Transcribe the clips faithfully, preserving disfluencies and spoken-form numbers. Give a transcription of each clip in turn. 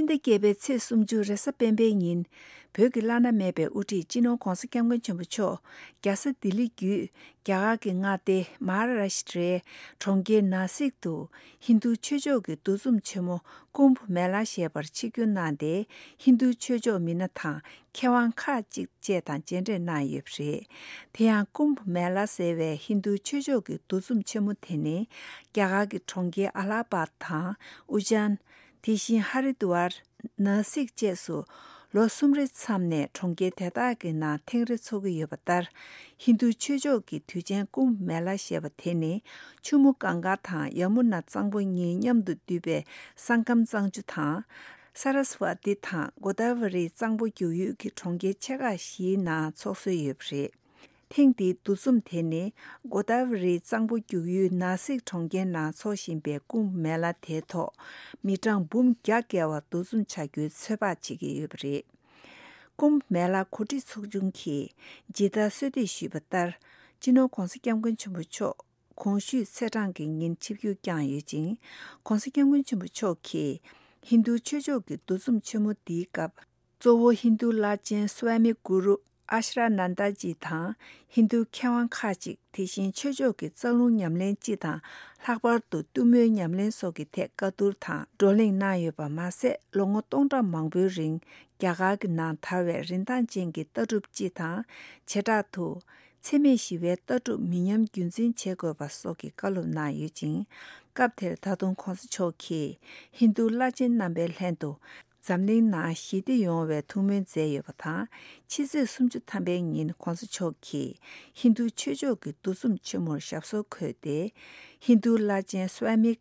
ཕྱི་ཟླ་བརྒྱད་པའི་ཚེས་སུམ་ཅུ་རེས་གཟའ་སྤེན་པའི་ཉིན། བོད་ཀྱི་བླ་ན་མེད་པའི་དབུ་ཁྲིད་སྤྱི་ནོར་༧གོང་ས་༧སྐྱབས་མགོན་ཆེན་པོ་མཆོག་རྒྱལ་ས་ལྡི་ལི་བརྒྱུད། རྒྱ་གར་གྱི་མངའ་སྡེ་མ་ཧཱ་རཱ་ཤི་ཏྲའི་གྲོང་ཁྱེར་ནཱ་སིག་ཏུ། ཧིན་རྡུ་ཆོས་ཕྱོགས་ཀྱི་འདུ་འཛོམས་ཆེན་མོ་ཀུམ་བྷ་མེ་ལ་ཞེས་པར་ཆིབས་བསྒྱུར་གནང་སྟེ། ཧིན་རྡུ་ཆོས་ཕྱོགས་མི་སྣ་དང་། མཁས་དབང་ཁག་ཅིག་བཅས་དང་མཇལ་འཕྲད་གནང་ཡོད་པ་རེད། དེ་ཡང་ཀུམ་བྷ་མེ་ལ་ཟེར་བའི་ཧིན་རྡུ་ཆོས་ཕྱོགས་ཀྱི་འདུ་འཛོམས་ཆེན་མོ་དེ་ནི། རྒྱ་གར་གྱི་གྲོང་ཁྱེར་ཨ་ལ་ཧ་པད་དང་། ཨུ་ཇཱན། དེ་བཞིན་ཧ་རི་དུ་ཝར། ནཱ་སིག་བཅས་སུ། ལོ་གསུམ་རེའི་མཚམས་ནས་གྲོང་ཁྱེར་དེ་དག་གི་ནང་ཐེངས་རེ་འཚོགས་ཀྱི་ཡོད་པ་ལྟར། ཧིན་རྡུ་ཆོས་ཕྱོགས་ཀྱི་དུས་ཆེན་ཀུམ་བྷ་མེ་ལ་ཞེས་པ་དེ་ནི། ཆུ་མོ་གངྒཱ་དང་ཡ་མུ་ན་གཙང་པོ་གཉིས་མཉམ་དུ་འདུས་པའི་སང་ཀམ་གཙང་ཆུ་དང་། ས་ར་སི་ཝ་ཏི་དང་གོ་ད་ཝ་རི་གཙང་པོ་རྒྱུག་ཡུལ་གྱི་གྲོང་ཁྱེར་ཆེ་ཁག་བཞིའི་ནང་འཚོགས་སྲོལ་ཡོད་པ་རེད། ཐེངས་འདིའི་འདུ་འཛོམས་དེ་ནི་གོ་ད་ཝ་རིའི་གཙང་པོ་རྒྱུག་ཡུལ་ནཱ་སིག་གྲོང་ཁྱེར་ནང་འཚོགས་བཞིན་པའི་ཀུམ་མེ་ལ་དེའི་ཐོག་མི་གྲངས་འབུམ་བརྒྱ་བརྒལ་བ་འདུ་འཛོམས་བྱ་རྒྱུའི་ཚོད་དཔག་བྱེད་ཀྱི་ཡོད་པ་རེད། ཀུམ་མེ་ལ་གོ་སྒྲིག་ཚོགས་ཆུང་གིས་ཇི་ལྟར་གསོལ་འདེབས་ཞུས་པ་ལྟར། སྤྱི་ནོར་༧གོང་ས་༧སྐྱབས་མགོན་ཆེན་པོ་མཆོག་གོང་ཞུས་ཚེས་གྲངས་ཀྱི་ཉིན་ཆིབས་བསྒྱུར་བསྐྱངས་ཡོད་ཅིང་། ༧གོང་ས་༧སྐྱབས་མགོན་ཆེན་པོ་མཆོག་གིས་ཧིན་རྡུ་ཆོས་ཕྱོགས་ཀྱི་འདུ་འཛོམས་ཆེན་མོ་འདིའི་སྐབས། གཙོ་བོ་ཧིན་རྡུ་བླ་ཆེན་སུ་ཝཱ་མི་གུ་རུ་ཨ་ཤྲ་ནན་ད་ཇི་དང་། ཧིན་རྡུ་མཁས་དབང་ཁག་ཅིག་དེ་བཞིན་ཆོས་ཕྱོགས་ཀྱི་རྩ་རླུང་ཉམས་ལེན་སྤྱི་དང་། ལྷག་པར་དུ་གཏུམ་མོའི་ཉམས་ལེན་སོགས་ཀྱི་ཐད་བཀའ་བསྡུར་དང་བགྲོ་གླེང་གནང་ཡོད་པ་མ་ཟད། ལོ་ངོ་སྟོང་ཕྲག་མང་པོའི་རིང་རྒྱ་གར་གྱི་ནང་དར་བའི་རིན་ཐང་ཅན་གྱི་ལྟ་གྲུབ་སྤྱི་དང་། བྱེ་བྲག་ཏུ། འཚེ་མེད་ཞི་བའི་ལྟ་གྲུབ་མི་ཉམས་རྒྱུན་འཛིན་བྱེད་དགོས་པ་སོགས་ཀྱི་བཀའ་སློབ་གནང་ཡོད་ཅིང་། སྐབས་དེར་ད་དུང་༧གོང་ས་མཆོག་གིས་ཧིན་རྡུ་བླ་ཆེན་རྣམ་པའི་ལྷན་དུ། འཛམ་གླིང་ནང་ཞི་བདེ་ཡོང་བའི་ཐུགས་སྨོན་མཛད་ཡོད་པ་དང་། ཕྱི་ཚེས་སུམ་ཅུ་ཐམ་པའི་ཉིན་༧གོང་ས་མཆོག་གིས་ཧིན་རྡུ་ཆོས་ཕྱོགས་ཀྱི་འདུ་འཛོམས་ཆེན་མོར་ཞབས་སོར་འཁོད་དེ། ཧིན་རྡུ་བླ་ཆེན་སུ་ཝཱ་མི་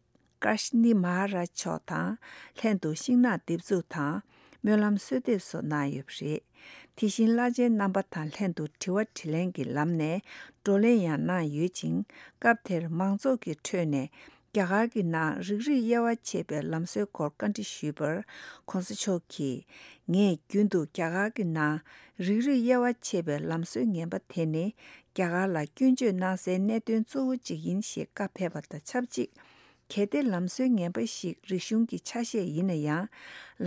ཀར་ཤ་ནི་མ་ཧཱ་རཱཇ་མཆོག་དང་ལྷན་དུ་ཤིང་ནགས་འདེབས་འཛུགས་དང་། སྨོན་ལམ་གསོལ་འདེབས་སོགས་གནང་ཡོད་པ་རེད། དེ་བཞིན་བླ་ཆེན་རྣམ་པ་དང་ལྷན་དུ་དྲི་བ་དྲིས་ལན་གྱི་ལམ་ནས་བགྲོ་གླེང་ཡང་གནང་ཡོད་ཅིང་། སྐབས་དེར་མང་ཚོགས་ཀྱི་ཁྲོད་ནས། རྒྱ་གར་གྱི་ནང་རིགས་རུས་དབྱེ་བ་ཕྱེ་བའི་ལམ་སྲོལ་སྐོར་བཀའ་འདྲི་ཞུས་པར། ༧གོང་ས་མཆོག་གིས། ངས་རྒྱུན་དུ་རྒྱ་གར་གྱི་ནང་རིགས་རུས་དབྱེ་བ་ཕྱེ་བའི་ལམ་སྲོལ་ངན་པ་དེ་ནི། རྒྱ་གར་ལ་སྐྱོན་བརྗོད་གནང་སའི་གནད་དོན་གཙོ་བོ་གཅིག་ཡིན་ཞེས་བཀའ་ཕེབས་པ་དང་ཆབས་ཅིག་གལ་ཏེ་ལམ་སྲོལ་ངན་པ་ཞིག་རིག་གཞུང་གི་ཆ་ཤས་ཡིན་ན་ཡང་།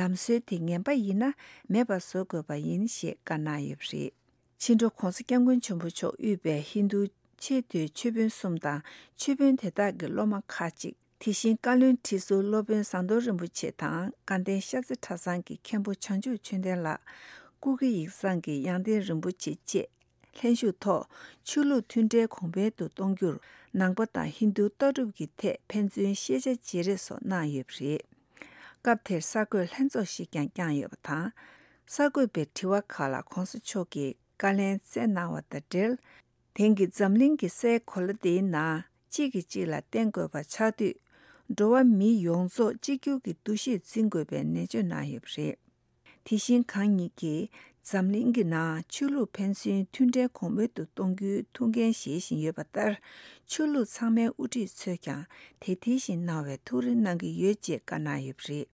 ལམ་སྲོལ་དེ་ངན་པ་ཡིན་ན་མེད་པ་བཟོ་དགོས་པ་ཡིན་ཞེས་བཀའ་གནང་ཡོད་པ་རེད། ཕྱི་དྲོ་༧གོང་ས་༧སྐྱབས་མགོན་ཆེན་པོ་མཆོག་དབུས་པའི་ཧིན་རྡུ་ཆེས་མཐོའི་ཆོས་དཔོན་གསུམ་དང་། ཆོས་དཔོན་དེ་དག་གི་སློབ་མ་ཁག་ཅིག་དེ་བཞིན་བཀའ་བློན་ཁྲི་ཟུར་སློབ་དཔོན་ཟམ་གདོང་རིན་པོ་ཆེ་དང་། དགའ་ལྡན་ཤར་རྩེ་གྲྭ་ཚང་གི་མཁན་པོ་བྱང་ཆུབ་ཆོས་ལྡན་ལགས། སྐུ་སྒེར་ཡིག་ཚང་གི་ཡང་སྟེང་རིན་པོ་ཆེ་བཅས། ལྷན་ཞུགས་ཐོག་ཆོས་ལུགས་མཐུན་འབྲེལ་གོང་འཕེལ་དུ་གཏོང་རྒྱུར། ནང་པ་དང་ཧིན་རྡུ་ལྟ་གྲུབ་ཀྱི་ཐད་ཕན་ཚུན་ཤེས་བྱ་བརྗེ་རེས་སོགས་གནང་ཡོད་པ་རེད། སྐབས་དེར་གསར་འགོད་ལྷན་ཚོགས་ཤིག་ཀྱང་བསྐྱངས་ཡོད་པ་དང་། གསར་འགོད་པའི་དྲི་བ་ཁག་ལ་༧གོང་ས་མཆོག་གིས་བཀའ་ལན་སྩལ་གནང་བ་དང་འབྲེལ། དེང་གི་འཛམ་གླིང་གི་སའི་གོ་ལ་འདིའི་ནང་གཅིག་གིས་གཅིག་ལ་བརྟེན་དགོས་པ་ཆགས་དུས། འགྲོ་བ་མི་ཡོངས་རྫོགས་གཅིག་གྱུར་གྱི་འདུ་ཤེས་འཛིན་དགོས་པའི་ནན་བརྗོད་གནང་ཡོད་པ་རེད། དེ་བཞིན་གང་ཉིད་ཀྱིས་འཛམ་གླིང་གི་ནང་ཆོས་ལུགས་ཕན་ཚུན་མཐུན་འབྲེལ་གོང་འཕེལ་དུ་གཏོང་རྒྱུའི་ཐུགས་འགན་བཞེས་བཞིན་ཡོད་པ་ལྟར། ཆོས་ལུགས་ཚང་མའི་དབུ་ཁྲིད་ཚོས་ཀྱང་དེ་དེ་བཞིན་གནང་བའི་ཐུགས་རེ་གནང་གི་ཡོད་ཅེས་བཀའ་གནང་ཡོད་པ་རེད།